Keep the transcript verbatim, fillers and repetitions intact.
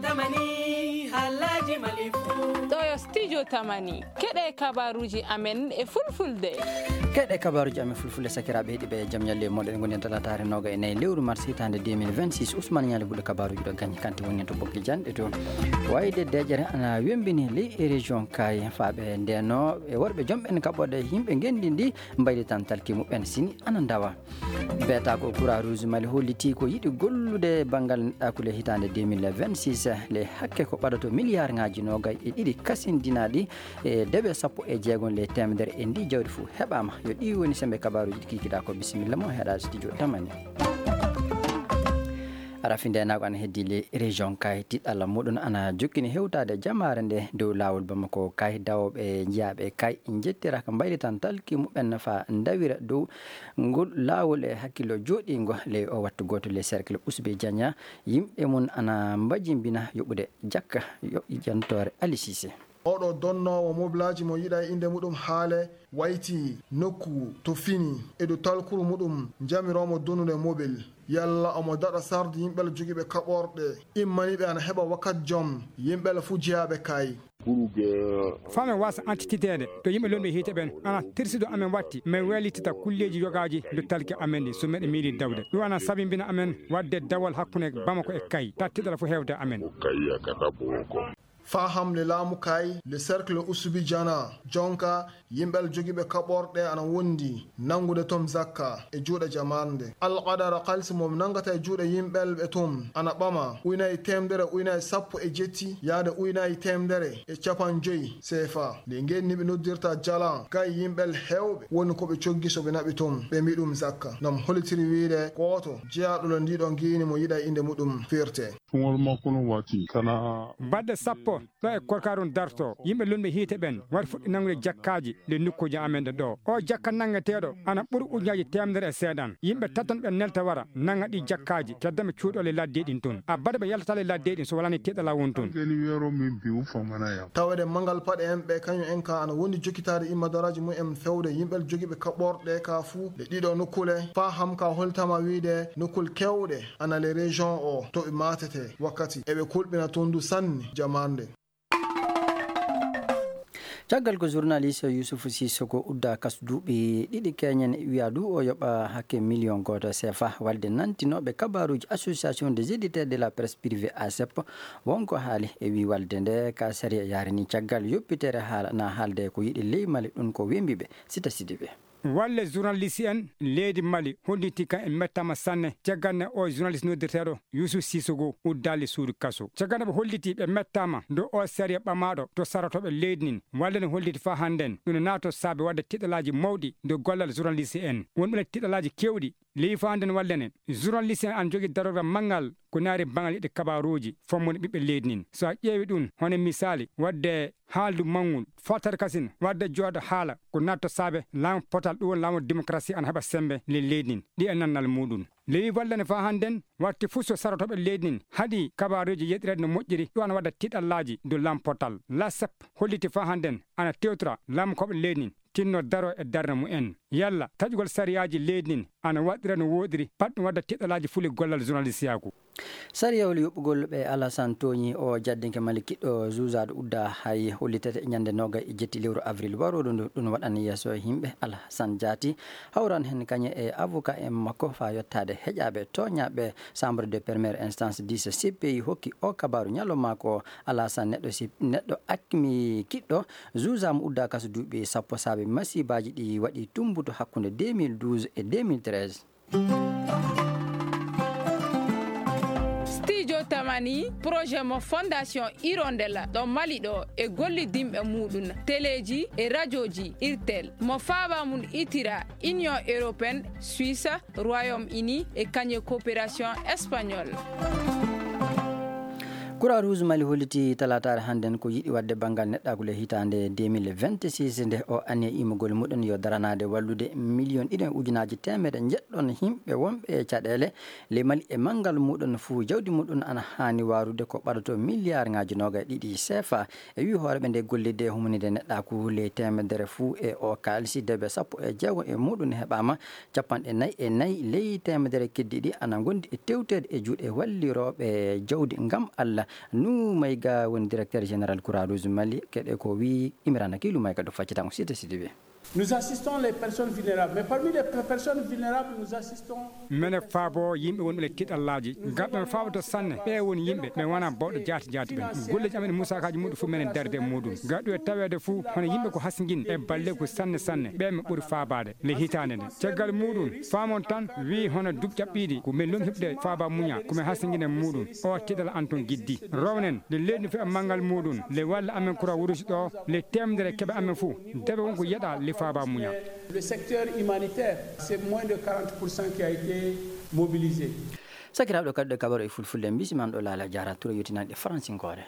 Tamani, haalaaji Mali fuu. Ɗo yo Studio Tamani. Keɗe kabaruuji amen e fulfulde. Keɗe kabaruuji amen fulfulde, sakiraaɓe heɗiiɓe, jam ñalle e moɗon. Ngonen talaataare nooga e nayi lewru mars hitaande deux mille vingt-six. Ousmane Ñaali Buɗo kabaruuji ɗo gañi kanti woni to Boggi Janɗe to. Wayde deƴere ana wembini ley e région Kayi. Faaɓe ndeno e worɓe jom ɓen kaɓɓoɗe yimɓe ngenndi ndi mbaylitan talki muɓɓen sini ana ndawa. Beeta ko Croix Rouge Mali hollitii ko yiɗi gollude banngal neɗɗaaku le hitaande deux mille vingt-six, le hakke ko ɓadato miliyaarŋaaji noogay e ɗiɗi kasindinaaɗi e dewe sappo e jeegom le teemedere e ndi jawdi fof heɓaama. Yo ɗi woni sembe kabaruuji ɗi kikiɗaa ko. Bisimilla mo heɗa studio Tamani. Rafi ndeenaagu ana heddii le région Kayi, tiɗalla muɗum ana jokkini hewtaade jamaare nde dow laawol Bamako Kayi, dawooɓe njiyaaɓe Kayi njettiraka mbaylitan talki muɓɓen faa ndawira dow ngol laawol e hakkillo jooɗiingo ley o wattu gooto ley cercle Ousbe Diania. Yimɓe mum ana mbajimbina yoɓude jakka yo jantoore Ali Cissé. Oɗo donnoowo mobilaaji mo yiɗa e innde muɗum haale wayti nokku to fini e dow talkuru muɗum jamiroomo donnude mobil. Yalla omo daɗa sarde yimɓe jogiiɓe kaɓorɗe immaniiɓe ana heɓa wakat jom yimɓe fuu jeyaaɓe Kayi. Faa mi waasa antititeede to yimɓe lolɓe hiite ɓen, ana tirsido amen watti, min weelitita kulleeji yogaaji dow talki amen ɗi, so meɗen miili dawde. Ɗum ana sabimbina amen waɗde dawal hakkunde Bamako e Kayi, tattiɗal fof heewde amen. Faa hamle laamu Kayi, le cercle Usubi Jana, jonka yimɓe jogiiɓe kaɓorɗe ana wondi nanngude toon zakka e juuɗe jamaande. Alqadara kalisi mo nanngata e juuɗe yimɓe ɓe toon ana ɓama uynaaji teemedere, uynaaji sappo e jetti yaade uynaaji teemedere e capanɗe joy seefa. Nde ngeen ni ɓe noddirta jala, kay yimɓe heewɓe woni ko ɓe coggi so ɓe naɓi toon, ɓe mbi ɗum zakka. Nam hollitiri wiyde gooto jeyaaɗo ndiɗo ngiini mo yiɗa innde muɗum firte. Tungol makko no wati kana. Baɗɗe sappo ɗo e korkaarun darto, yimɓe lunɓe hiite ɓen wari fuɗɗi nanngude jakkaaji ɗe nokkuuji amen ɗe ɗo. O jakka nanngeteeɗo ana ɓuri ujunaaji teemedere e seeɗan. Yimɓe tatton ɓe nelta wara nannga ɗi jakkaaji, kedda ɓe cuuɗo le ladde ɗin tun. A baɗa ɓe yaltata le ladde ɗin so walani tiɗala won tun. Gani wero min bi'u famana yam. Tawede mangal paɗe en ɓe kañum en ka ana wondi jokkitaade immadoraaji mum en fewde yimɓe jogiiɓe kaɓorɗe ka fuu ɗe ɗiɗo nokkule. Faa ham ka holtama wiide nokkul kewɗe ana le région o to ɓe maatete wakkati eɓe kulɓina tondu sanne jamaande. Caggal ko journaliste Youssouf Sissoko udda kas duuɓi ɗiɗi keñen, wiya du o yoɓa hakke million gooto sefa. Walde nantinooɓe kabaruuji Association des éditeurs de la presse privée, ASEP, wonko haali e wi walde nde ka sariya yarini caggal yoppitere haala na haalde ko yiɗi ley Mali ɗum ko wembiɓe. Sita Sidibe. Walle journaliste en leydi Mali holliti kan e mettama sanne caggal nde o journaliste noddirteeɗo Youssouf Sissoko uddaali suudu kaso. Caggal nde ɓe holliti ɓe mettama dow o sariya ɓamaaɗo to sarotooɓe leydi ndin, walle ne holliti faa hannden ɗum ne naato saabe waɗde tiɗalaaji mawɗi dow gollal journaliste en. Won ɓe tiɗalaaji kewɗi ley faa hannden walle ne journaliste en ana jogii darorgal manngal ko naari bangal yiɗde kabaruuji fammude ɓiɓɓe leydi ndin. So a ƴeewi ɗum hono misaali waɗde haaldu manngol, fottere kasin waɗde jooɗo haala ko natto saabe laamu potal, ɗum woni laamu démocratie ana heɓa sembe ley leydi ndin, ɗi e nannal muɗum. Lewi wallane faa hannden watti fuu so sarotooɓe leydi ndin haɗi kabaruuji yeɗireede no moƴƴiri, ɗum ana waɗa tiɗallaaji dow laamu potal. L'ASEP holliti faa hannden ana tewtora laamu koɓe leydi ndin tinno daro e darnde mum en. Yalla taƴugol sariyaaji leydi ndin ana waɗira no wooɗiri, pat ɗum waɗa tiɗalaaji fuli gollal journalistiyaaku. Sariyawol yoɓugol ɓe Alasan tooñi o jaddinke Mali kiɗɗo juuzaade udda hay hollitete ñande noogay e jetti lewru avril warooɗo ndu. Ɗum waɗan yeeso yimɓe. Alasan Jaati hawran heen kañe e avocat en makko faa yottaade heƴaaɓe tooñaaɓe. Chambre de première instance dix C P I hokki o kabaaru ñalawma ko Alasan neɗɗo si, neɗɗo akmi kiɗɗo juuzaama udda kaso duuɓi sappo saabe masibaaji ɗi waɗi tumbuto hakkunde deux mille douze e deux mille treize. Studio Tamani, projet mo Fondation Hirondella ɗo Mali ɗo e gollidinɓe muɗum, teleeji e rajooji, IRTEL, mo faaba mum itira Union Européenne, Suisse, Royaume-Uni e kañe coopération espagnole. Croix Rouge Mali holliti talaataare hannden ko yiɗi waɗde banngal neɗɗaagu le hitaande deux mille vingt-six, nde o anniya immugol muɗum yo daranaade wallude miliyon ɗiɗi e ujunaaji teemedde njeɗɗon yimɓe wonɓe e caɗeele ley Mali e manngal muɗum fuu jawdi muɗum ana haani waarude ko ɓadato miliyaarŋaaji noogay ɗiɗi sefa. E wi hooreeɓe nde gollidde humanide neɗɗaaku ley teemedere fuu e o kaalisi dewe sappo e jeego e muɗum heɓaama, capanɗe nayi e nayi ley teemedere keddiiɗi ana ngondi e tewteede e juuɗe wallirooɓe jawdi ngam Alla. Numayga woni directeur général Croix Rouge Mali, keɗe ko wi Imrana Kilu Mayga ɗo faccita on site site ɓe. Nous assistons les personnes vulnérables, mais parmi les personnes vulnérables, nous assistons mene faabo yimɓe wonɓe le tiɗallaaji. Ngarɗo mi faaboto sanne, ɓe woni yimɓe ɓe wona bawɗo jaati jaati ɓen. Golleji amen musaakaaji muɗum fof menen darde e muɗum. Ngarɗo e taweede fof hono yimɓe ko hasingin e balle ko sanne sanne, ɓe mi ɓuri faabaade le hitaande nde. Caggal muɗum, faamon tan wi hono duuɓi caɓɓiiɗi ko men lom heɓde faaba muña, ko men hasingin e muɗum. O tiɗal an ton giddi. Rownen le leydi no feɓa manngal muɗum, le walla amen kura wurusi ɗo, le temdere keɓa amen fof. Debe won ko yeɗa le faaba muña. Le secteur humanitaire, c'est moins de quarante pour cent qui a été mobilisé. Sakiraaɓe, kadi ɗo kabaro e fulfulde, mbisiman ɗo laala jaara tura yottinanɗe fransinkoore.